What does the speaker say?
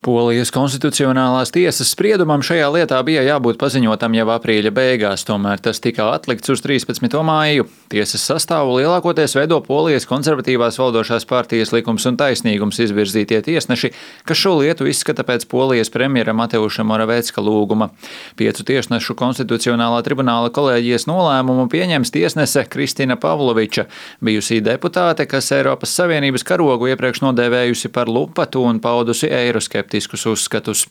Polijas konstitucionālās tiesas spriedumam šajā lietā bija jābūt paziņotam jau aprīļa beigās, tomēr tas tika atlikts uz 13. māju. Tiesas sastāvu lielākoties veido Polijas konservatīvās valdošās partijas Likums un taisnīgums izvirzītie tiesneši, kas šo lietu izskata pēc Polijas premjera Mateuša Morawiecka lūguma. 5 tiesnešu konstitucionālā tribunāla kolēģijas nolēmumu pieņems tiesnese Kristina Pavloviča, bijusī deputāte, kas Eiropas Savienības karogu iepriekš nodēvējusi par lupatu un paudusi eiroskeptiskus uzskatus.